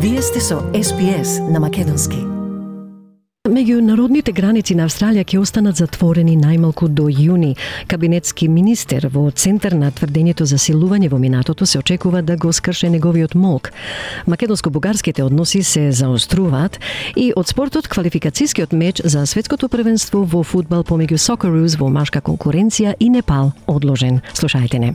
Вие сте со SPS на македонски. Меѓународните граници на Австралија ќе останат затворени најмалку до јуни. Кабинетски министер во центар на тврдењето за силување во минатото се очекува да го скрше неговиот молк. Македонско-бугарските односи се заоструваат и од спортот квалификацијскиот меч за светското првенство во фудбал помеѓу Socceroos во машка конкуренција и Непал одложен. Слушајте не.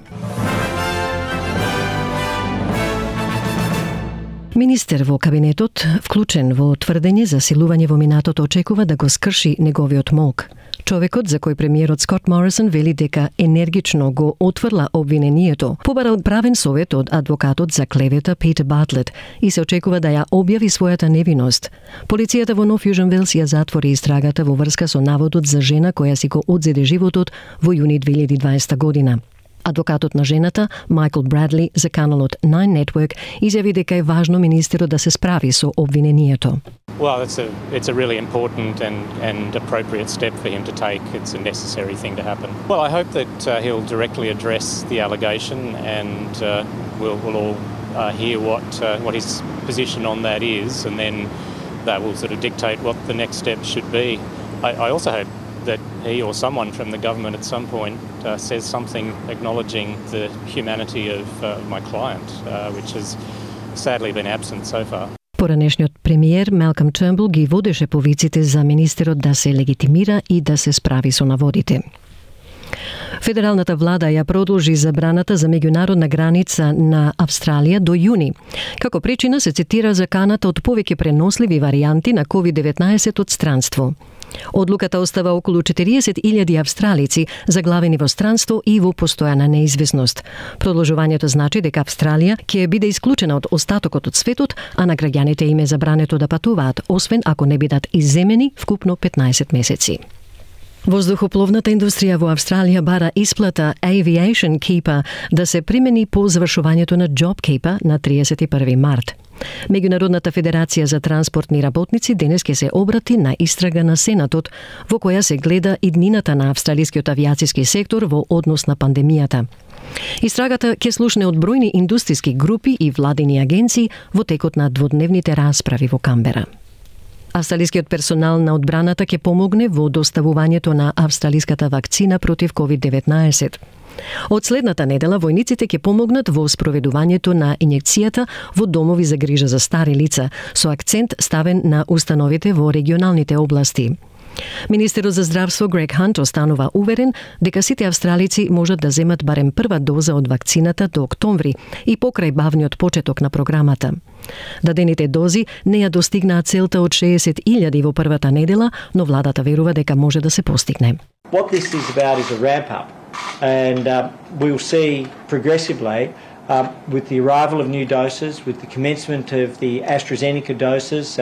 Министер во кабинетот, вклучен во тврдење за силување во минатото, очекува да го скрши неговиот молк. Човекот за кој премиерот Скот Морисон вели дека енергично го отфрла обвинението, побарал правен совет од адвокатот за клевета Питер Бартлет и се очекува да ја објави својата невиност. Полицијата во Нов Јужен Велс ја затвори истрагата во врска со наводот за жена која си го одзеде животот во јуни 2020 година. Адвокатот на жената, Майкл Брадли, за каналот Nine Network, изјави дека е важно министерот да се справи со обвинението. Well, it's a really important and appropriate step for him to take. It's a necessary thing to happen. Well, I hope that he'll directly address the allegation and we'll all hear what his position on that is, and then that will sort of dictate what the next step should be. I also hope that he or someone from the government at some point says something acknowledging the humanity of my client, which has sadly been absent so far. Поранешниот премиер Малком Тернбул ги водеше повиците за министерот да се легитимира и да се справи со наводите. Федералната влада ја продолжи забраната за меѓународна граница на Австралија до јуни. Како причина се цитира заканата од повеќе преносливи варијанти на COVID-19 од странство. Одлуката остава околу 40.000 австралици заглавени во странство и во постојана неизвестност. Продолжувањето значи дека Австралија ќе биде исклучена од остатокот од светот, а на граѓаните им е забрането да патуваат, освен ако не бидат изземени вкупно 15 месеци. Воздухопловната индустрија во Австралија бара исплата Aviation Keeper да се примени по завршувањето на JobKeeper на 31 март. Меѓународната федерација за транспортни работници денес ќе се обрати на истрага на Сенатот, во која се гледа иднината на австралискиот авиацијски сектор во однос на пандемијата. Истрагата ќе слушне од бројни индустријски групи и владини агенции во текот на дводневните расправи во Камбера. Австралискиот персонал на одбраната ќе помогне во доставувањето на австралиската вакцина против COVID-19. Од следната недела војниците ќе помогнат во спроведувањето на инјекцијата во домови за грижа за стари лица, со акцент ставен на установите во регионалните области. Министерот за здравство Грег Хант останува уверен дека сите австралици можат да земат барем прва доза од вакцината до октомври и покрај бавниот почеток на програмата. Дадените дози не ја достигнаат целта од 60.000 во првата недела, но владата верува дека може да се постигне. What this is about is a ramp up, and we'll see progressively with the arrival of new doses, with the commencement of the AstraZeneca doses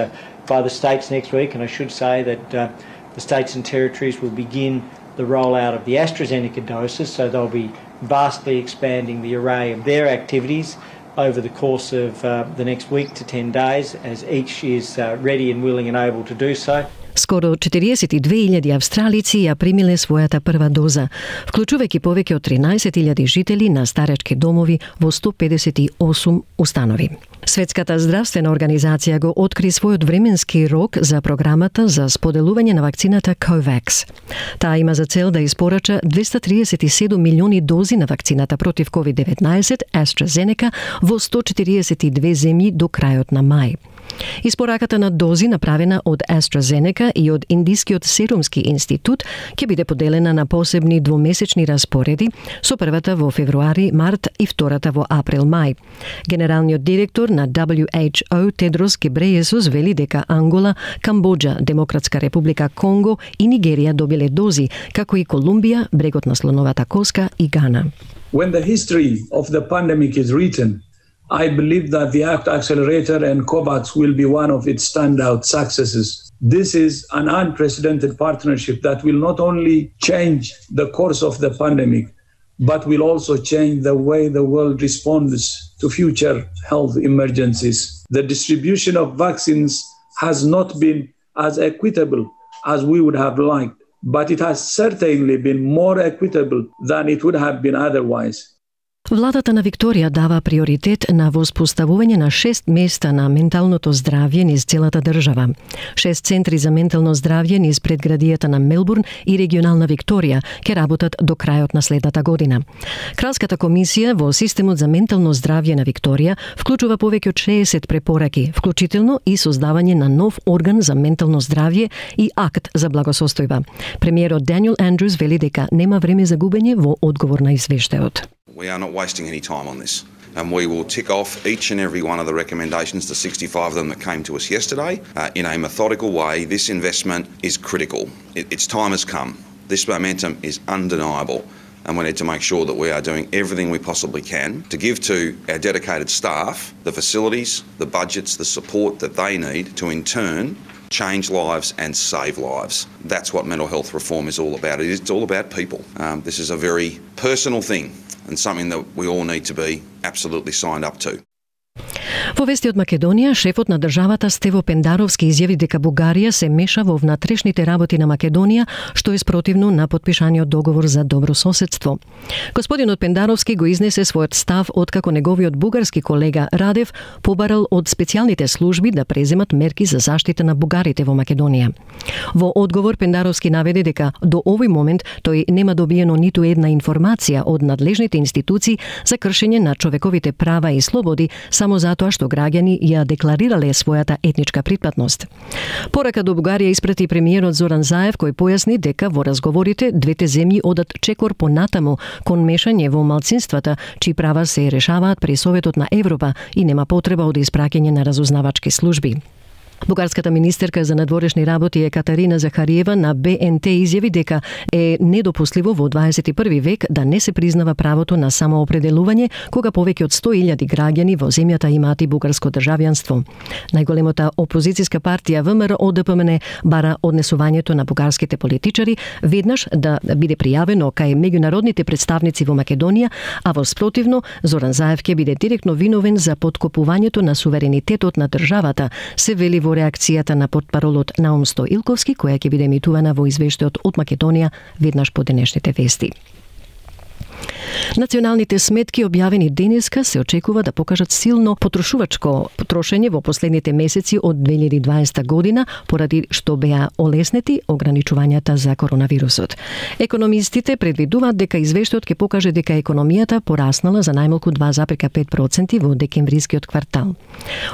by the states next week, and I should say that the states and territories will begin the rollout of the AstraZeneca doses, so they'll be vastly expanding the array of their activities over the course of the next week to 10 days, as each is ready and willing and able to do so. Скоро 42.000 австралици ја примиле својата прва доза, вклучувајќи повеќе од 13.000 жители на старечки домови во 158 установи. Светската здравствена организација го откри својот временски рок за програмата за споделување на вакцината COVAX. Таа има за цел да испорача 237 милиони дози на вакцината против COVID-19 AstraZeneca во 142 земји до крајот на мај. Испораката на дози направена од AstraZeneca и од Индискиот серумски институт ќе биде поделена на посебни двомесечни распореди, со првата во февруари, март и втората во април-мај. Генералниот директор на WHO Тедрос Гебрејесус вели дека Ангола, Камбоџа, Демократска република Конго и Нигерија добиле дози, како и Колумбија, брегот на слоновата коска и Гана. When the history of the pandemic is written, I believe that the ACT Accelerator and COVAX will be one of its standout successes. This is an unprecedented partnership that will not only change the course of the pandemic, but will also change the way the world responds to future health emergencies. The distribution of vaccines has not been as equitable as we would have liked, but it has certainly been more equitable than it would have been otherwise. Владата на Викторија дава приоритет на воспоставување на 6 места на менталното здравје низ целата држава. 6 центри за ментално здравје низ предградијата на Мелбурн и регионална Викторија ќе работат до крајот на следната година. Кралската комисија во системот за ментално здравје на Викторија вклучува повеќе од 60 препораки, вклучително и создавање на нов орган за ментално здравје и акт за благосостојба. Премиерот Даниел Андрюс вели дека нема време за губење во одговор на извештајот. We are not wasting any time on this. And we will tick off each and every one of the recommendations, the 65 of them that came to us yesterday, in a methodical way. This investment is critical. Its time has come. This momentum is undeniable. And we need to make sure that we are doing everything we possibly can to give to our dedicated staff the facilities, the budgets, the support that they need to in turn change lives and save lives. That's what mental health reform is all about. It's all about people. This is a very personal thing and something that we all need to be absolutely signed up to. Во вести од Македонија, шефот на државата Стево Пендаровски изјави дека Бугарија се меша во внатрешните работи на Македонија, што е спротивно на потпишаниот договор за добро соседство. Господинот Пендаровски го изнесе својот став откако неговиот бугарски колега Радев побарал од специјалните служби да преземат мерки за заштита на бугарите во Македонија. Во одговор Пендаровски наведе дека до овој момент тој нема добиено ниту една информација од надлежните институции за кршење на човековите права и слободи само затоа што граѓани ја декларирале својата етничка припатност. Порака до Бугарија испрати премиерот Зоран Заев, кој појасни дека во разговорите двете земји одат чекор понатаму кон мешање во малцинствата, чии права се решаваат при Советот на Европа и нема потреба од испраќање на разузнавачки служби. Бугарската министерка за надворешни работи Екатерина Захариева на БНТ изјави дека е недопустливо во 21 век да не се признава правото на самоопределување кога повеќе од 100.000 граѓани во земјата имаат и бугарско државјанство. Најголемата опозицијска партија ВМРО ДПМН бара однесувањето на бугарските политичари веднаш да биде пријавено кај меѓународните представници во Македонија, а во спротивно Зоран Заев ќе биде директно виновен за поткопувањето на суверенитетот на државата, се вели во реакцијата на портпаролот Наум Стоилковски, која ќе биде емитувана во извештајот од Македонија веднаш по денешните вести. Националните сметки објавени денеска се очекува да покажат силно потрошувачко трошење во последните месеци од 2020 година, поради што беа олеснети ограничувањата за коронавирусот. Економистите предвидуваат дека извештајот ќе покаже дека економијата пораснала за најмалку 2,5% во декемврискиот квартал.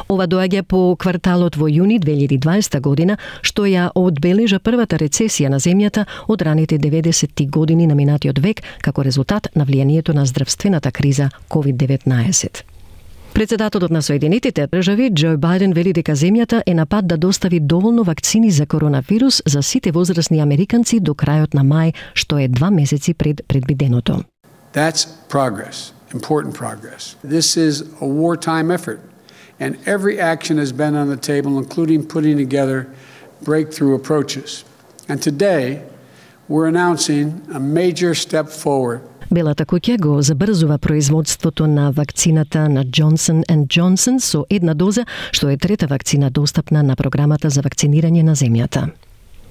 Ова доаѓа по кварталот во јуни 2020 година, што ја одбележа првата рецесија на земјата од раните 90-ти години на минатиот век, како резултат на влијанието на здравствената криза COVID-19. Председателот на Соединетите држави Џо Бајден вели дека земјата е на пат да достави доволно вакцини за коронавирус за сите возрастни американци до крајот на мај, што е 2 месеци пред предвиденото. That's progress, important progress. This is a wartime effort, and every action has been on the table, including putting together breakthrough approaches. And today, we're announcing a major step forward. Белата куќа го забрзува производството на вакцината на Johnson & Johnson со една доза, што е трета вакцина достапна на програмата за вакцинирање на земјата.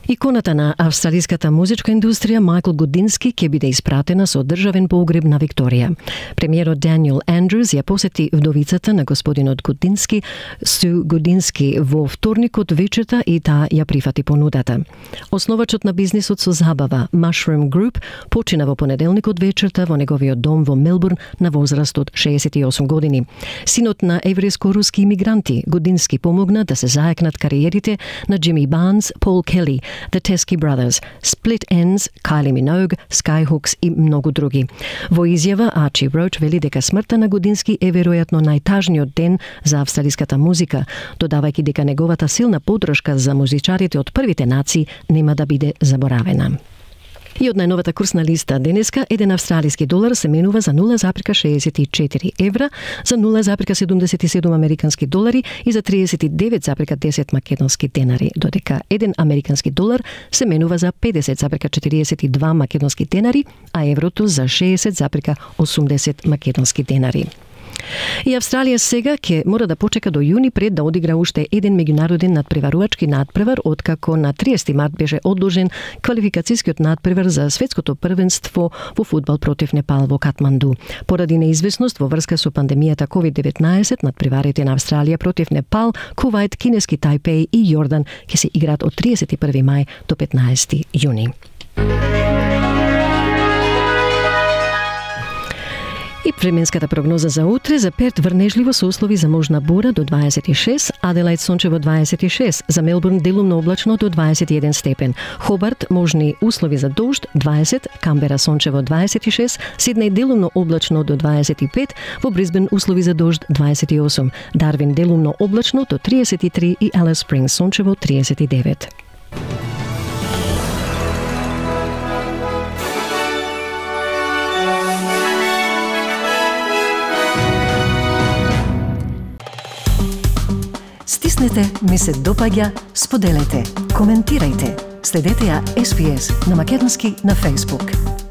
Иконата на австралиската музичка индустрија Майкл Гудински ќе биде испратена со државен погреб на Викторија. Премиерот Даниел Андрюс ја посети вдовицата на господинот Гудински, Су Гудински, во вторникот вечерта и таа ја прифати понудата. Основачот на бизнисот со забава, Mushroom Group, почина во понеделникот вечерта во неговиот дом во Мелбурн на возраст од 68 години. Синот на еврејско-руски имигранти, Гудински помогна да се заекнат кариерите на Джими Барнс, Пол Келли, The Teskey Brothers, Split Ends, Kylie Minogue, Skyhooks и многу други. Во изјава, Арчи Роуч вели дека смртта на Гудински е веројатно најтажниот ден за австралиската музика, додавајќи дека неговата силна поддршка за музичарите од првите нации нема да биде заборавена. И од најновата курсна листа денеска, еден австралиски долар се менува за 0,64 евра, за 0,77 американски долари и за 39,10 македонски денари, додека еден американски долар се менува за 50,42 македонски денари, а еврото за 60,80 македонски денари. И Австралија сега ќе мора да почека до јуни пред да одигра уште еден меѓународен надпреварувачки надпревар, откако на 30 март беше одложен квалификацијскиот надпревар за светското првенство во фудбал против Непал во Катманду. Поради неизвестност во врска со пандемијата COVID-19, надпреварите на Австралија против Непал, Кувајт, кинески Тајпеј и Јордан ќе се играат од 31 мај до 15 јуни. И временската прогноза за утре: за Перт врнежливо со услови за можна бура до 26, Аделајд сончево 26, за Мелбурн делумно облачно до 21 степен, Хобарт можни услови за дожд 20, Камбера сончево 26, Сиднеј делумно облачно до 25, во Брисбен услови за дожд 28, Дарвин делумно облачно до 33 и Алис Спрингс сончево 39. Стиснете, ми се допаѓа, споделете, коментирајте. Следете ја SPS на Македонски на Facebook.